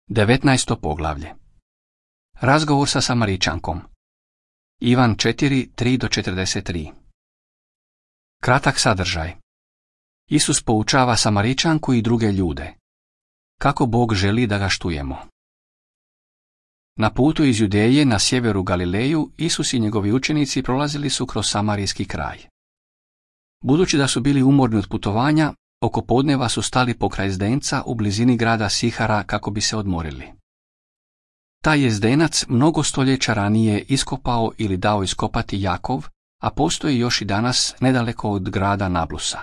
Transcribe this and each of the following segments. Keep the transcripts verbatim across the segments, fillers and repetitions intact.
devetnaesto poglavlje. Razgovor sa Samaričankom. Ivan četiri, tri do četrdeset tri. Kratak sadržaj. Isus poučava Samaričanku i druge ljude. Kako Bog želi da ga štujemo. Na putu iz Judeje na sjeveru Galileju, Isus i njegovi učenici prolazili su kroz samarijski kraj. Budući da su bili umorni od putovanja, oko podneva su stali pokraj zdenca u blizini grada Sihara kako bi se odmorili. Taj je zdenac mnogo stoljeća ranije iskopao ili dao iskopati Jakov, a postoji još i danas nedaleko od grada Nablusa.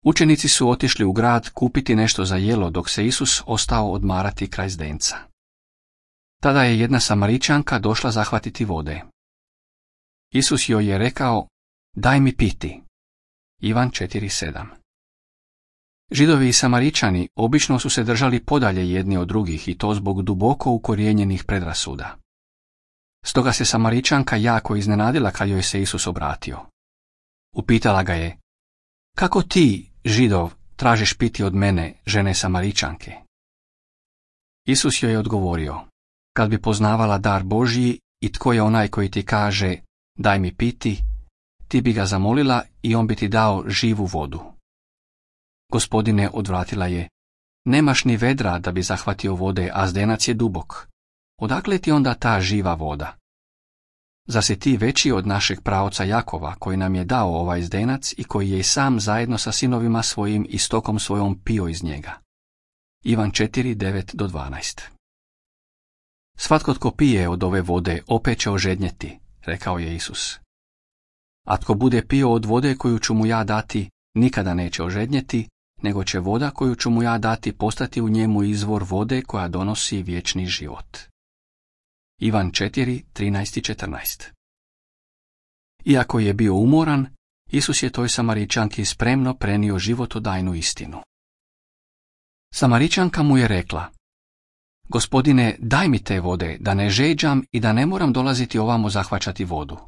Učenici su otišli u grad kupiti nešto za jelo dok se Isus ostao odmarati kraj zdenca. Tada je jedna Samaričanka došla zahvatiti vode. Isus joj je rekao: "Daj mi piti." Ivan četiri sedam. Židovi i Samaričani obično su se držali podalje jedni od drugih i to zbog duboko ukorijenjenih predrasuda. Stoga se Samaričanka jako iznenadila kad joj se Isus obratio. Upitala ga je: "Kako ti, Židov, tražiš piti od mene, žene Samaričanke?" Isus joj je odgovorio: "Kad bi poznavala dar Božji i tko je onaj koji ti kaže: daj mi piti, ti bi ga zamolila i on bi ti dao živu vodu." Gospodine, odvratila je, nemaš ni vedra da bi zahvatio vode, a zdenac je dubok. Odakle ti onda ta živa voda? Zar si ti veći od našeg praoca Jakova, koji nam je dao ovaj zdenac i koji je i sam zajedno sa sinovima svojim i stokom svojom pio iz njega? Ivan četiri, devet do dvanaest. Svatko tko pije od ove vode opet će ožednjeti, rekao je Isus. A tko bude pio od vode koju ću mu ja dati, nikada neće ožednjeti, nego će voda koju ću mu ja dati postati u njemu izvor vode koja donosi vječni život. Ivan četiri, trinaest i četrnaest. Iako je bio umoran, Isus je toj Samaričanki spremno prenio životodajnu istinu. Samaričanka mu je rekla: "Gospodine, daj mi te vode, da ne žeđam i da ne moram dolaziti ovamo zahvaćati vodu."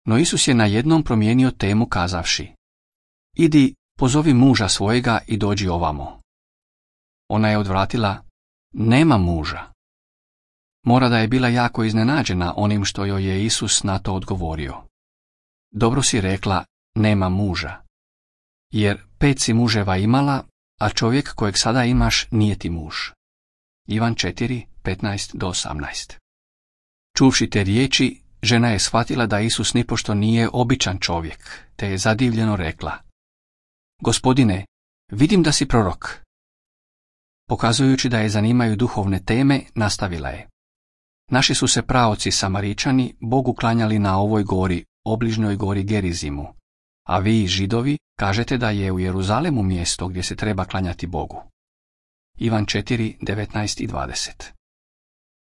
No Isus je najednom promijenio temu kazavši: "Idi, pozovi muža svojega i dođi ovamo." Ona je odvratila: "Nema muža." Mora da je bila jako iznenađena onim što joj je Isus na to odgovorio. "Dobro si rekla, nema muža. Jer pet si muževa imala, a čovjek kojeg sada imaš nije ti muž." Ivan četiri, petnaest do osamnaest. Čuvši te riječi, žena je shvatila da Isus nipošto nije običan čovjek, te je zadivljeno rekla: "Gospodine, vidim da si prorok." Pokazujući da je zanimaju duhovne teme, nastavila je: "Naši su se praoci Samaričani Bogu klanjali na ovoj gori, obližnjoj gori Gerizimu, a vi, Židovi, kažete da je u Jeruzalemu mjesto gdje se treba klanjati Bogu." Ivan četiri, devetnaest i dvadeset.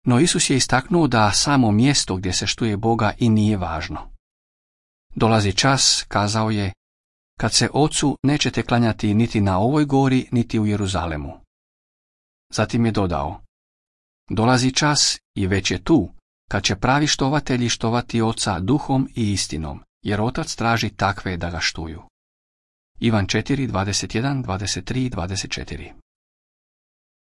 No Isus je istaknuo da samo mjesto gdje se štuje Boga i nije važno. "Dolazi čas," kazao je, "kad se Ocu nećete klanjati niti na ovoj gori, niti u Jeruzalemu." Zatim je dodao: "Dolazi čas i već je tu, kad će pravi štovatelji štovati Oca duhom i istinom, jer Otac traži takve da ga štuju." Ivan četiri, dvadeset jedan, dvadeset tri i dvadeset četiri.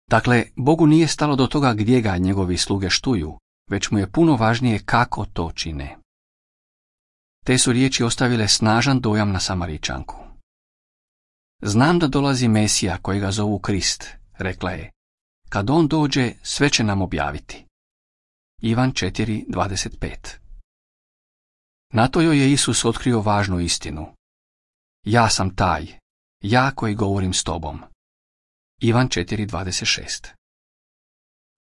Dakle, Bogu nije stalo do toga gdje ga njegovi sluge štuju, već mu je puno važnije kako to čine. Te su riječi ostavile snažan dojam na Samaričanku. "Znam da dolazi Mesija kojega zovu Krist," rekla je. "Kad on dođe, sve će nam objaviti." Ivan četiri, dvadeset pet. Na to joj je Isus otkrio važnu istinu. "Ja sam taj, ja koji govorim s tobom." Ivan četiri, dvadeset šest.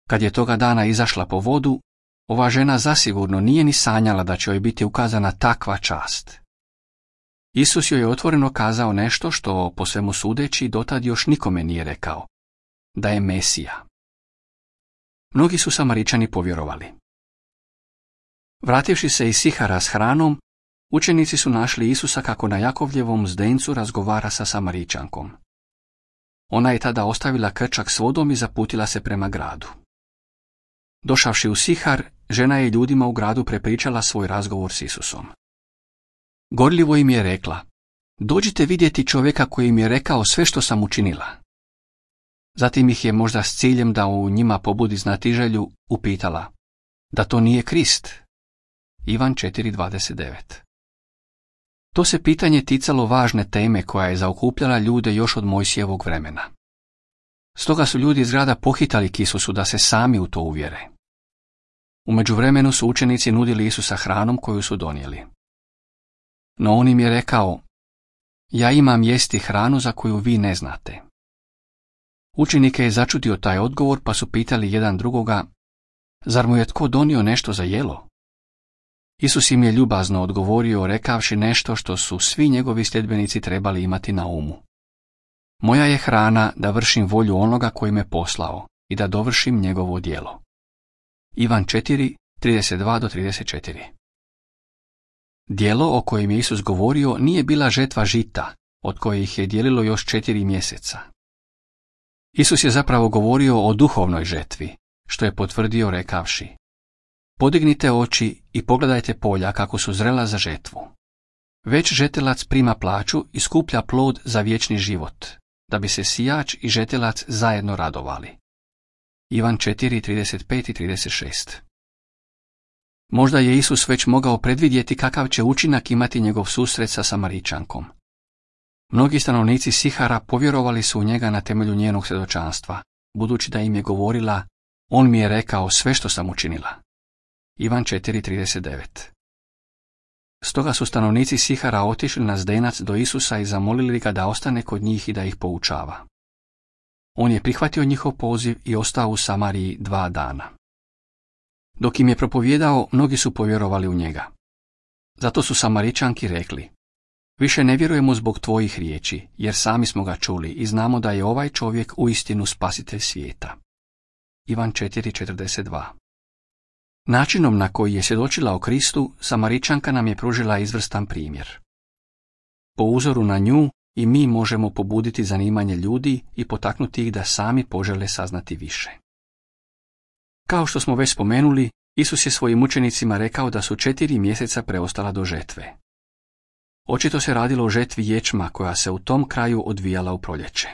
Kad je toga dana izašla po vodu, ova žena zasigurno nije ni sanjala da će joj biti ukazana takva čast. Isus joj je otvoreno kazao nešto što, po svemu sudeći, dotad još nikome nije rekao: da je Mesija. Mnogi su Samaričani povjerovali. Vrativši se iz Sihara s hranom, učenici su našli Isusa kako na Jakovljevom zdencu razgovara sa Samaričankom. Ona je tada ostavila krčak s vodom i zaputila se prema gradu. Došavši u Sihar, žena je ljudima u gradu prepričala svoj razgovor s Isusom. Gorljivo im je rekla: "Dođite vidjeti čovjeka koji im je rekao sve što sam učinila." Zatim ih je možda s ciljem da u njima pobudi znatiželju upitala da to nije Krist. Ivan četiri dvadeset devet. To se pitanje ticalo važne teme koja je zaokupljala ljude još od Mojsijevog vremena. Stoga su ljudi iz grada pohitali k Isusu da se sami u to uvjere. U međuvremenu su učenici nudili Isusa hranom koju su donijeli. No on im je rekao, ja imam jesti hranu za koju vi ne znate. Učenike je začudio taj odgovor pa su pitali jedan drugoga, zar mu je tko donio nešto za jelo? Isus im je ljubazno odgovorio rekavši nešto što su svi njegovi sljedbenici trebali imati na umu. Moja je hrana da vršim volju onoga koji me poslao i da dovršim njegovo djelo. Ivan četiri trideset dva do trideset četiri. Djelo o kojem je Isus govorio nije bila žetva žita, od kojih je dijelilo još četiri mjeseca. Isus je zapravo govorio o duhovnoj žetvi, što je potvrdio rekavši, podignite oči i pogledajte polja kako su zrela za žetvu. Već žetelac prima plaću i skuplja plod za vječni život, da bi se sijač i žetelac zajedno radovali. Ivan četiri trideset pet i trideset šest. Možda je Isus već mogao predvidjeti kakav će učinak imati njegov susret sa Samaričankom. Mnogi stanovnici Sihara povjerovali su u njega na temelju njenog svjedočanstva, budući da im je govorila, on mi je rekao sve što sam učinila. Ivan četiri trideset devet. Stoga su stanovnici Sihara otišli na zdenac do Isusa i zamolili ga da ostane kod njih i da ih poučava. On je prihvatio njihov poziv i ostao u Samariji dva dana. Dok im je propovijedao, mnogi su povjerovali u njega. Zato su Samaričanki rekli, više ne vjerujemo zbog tvojih riječi, jer sami smo ga čuli i znamo da je ovaj čovjek uistinu spasitelj svijeta. Ivan četiri četrdeset dva. Načinom na koji je svjedočila o Kristu, Samaričanka nam je pružila izvrstan primjer. Po uzoru na nju i mi možemo pobuditi zanimanje ljudi i potaknuti ih da sami požele saznati više. Kao što smo već spomenuli, Isus je svojim učenicima rekao da su četiri mjeseca preostala do žetve. Očito se radilo o žetvi ječma koja se u tom kraju odvijala u proljeće.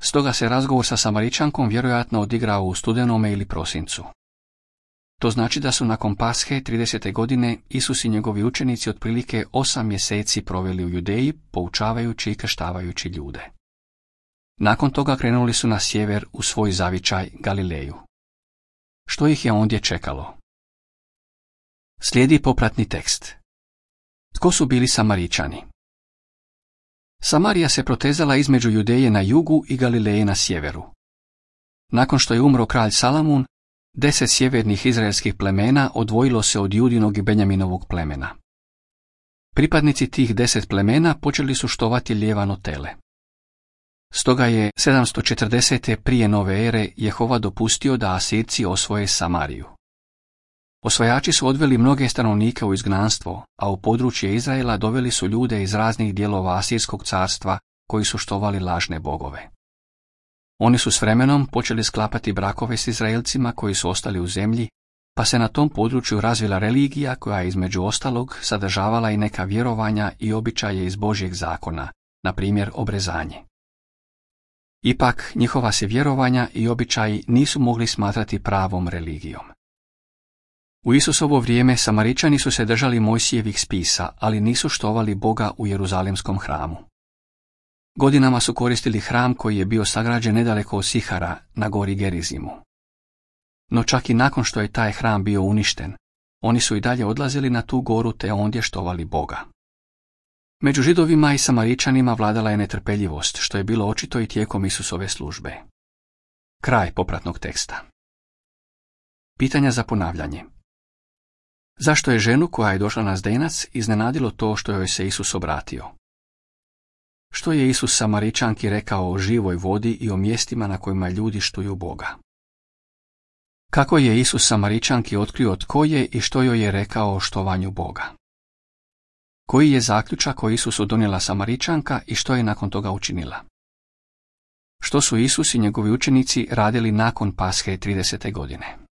Stoga se razgovor sa Samaričankom vjerojatno odigrao u studenome ili prosincu. To znači da su nakon Pashe tridesete godine Isus i njegovi učenici otprilike osam mjeseci proveli u Judeji, poučavajući i krštavajući ljude. Nakon toga krenuli su na sjever u svoj zavičaj Galileju. Što ih je ondje čekalo? Slijedi popratni tekst. Tko su bili Samaričani? Samarija se protezala između Judeje na jugu i Galileje na sjeveru. Nakon što je umro kralj Salamun, deset sjevernih izraelskih plemena odvojilo se od Judinog i Benjaminovog plemena. Pripadnici tih deset plemena počeli su štovati lijevano tele. Stoga je sedamsto četrdesete prije nove ere Jehova dopustio da Asirci osvoje Samariju. Osvajači su odveli mnoge stanovnike u izgnanstvo, a u područje Izraela doveli su ljude iz raznih dijelova Asirskog carstva koji su štovali lažne bogove. Oni su s vremenom počeli sklapati brakove s Izraelcima koji su ostali u zemlji, pa se na tom području razvila religija koja je između ostalog sadržavala i neka vjerovanja i običaje iz Božjeg zakona, na primjer obrezanje. Ipak, njihova se vjerovanja i običaji nisu mogli smatrati pravom religijom. U Isusovo vrijeme Samaričani su se držali Mojsijevih spisa, ali nisu štovali Boga u Jeruzalemskom hramu. Godinama su koristili hram koji je bio sagrađen nedaleko od Sihara, na gori Gerizimu. No čak i nakon što je taj hram bio uništen, oni su i dalje odlazili na tu goru te ondje štovali Boga. Među Židovima i Samaričanima vladala je netrpeljivost, što je bilo očito i tijekom Isusove službe. Kraj popratnog teksta. Pitanja za ponavljanje. Zašto je ženu koja je došla na zdenac iznenadilo to što joj se Isus obratio? Što je Isus Samaričanki rekao o živoj vodi i o mjestima na kojima ljudi štuju Boga? Kako je Isus Samaričanki otkrio tko je i što joj je rekao o štovanju Boga? Koji je zaključak koji Isusu donijela Samaričanka i što je nakon toga učinila? Što su Isus i njegovi učenici radili nakon Pashe tridesete godine?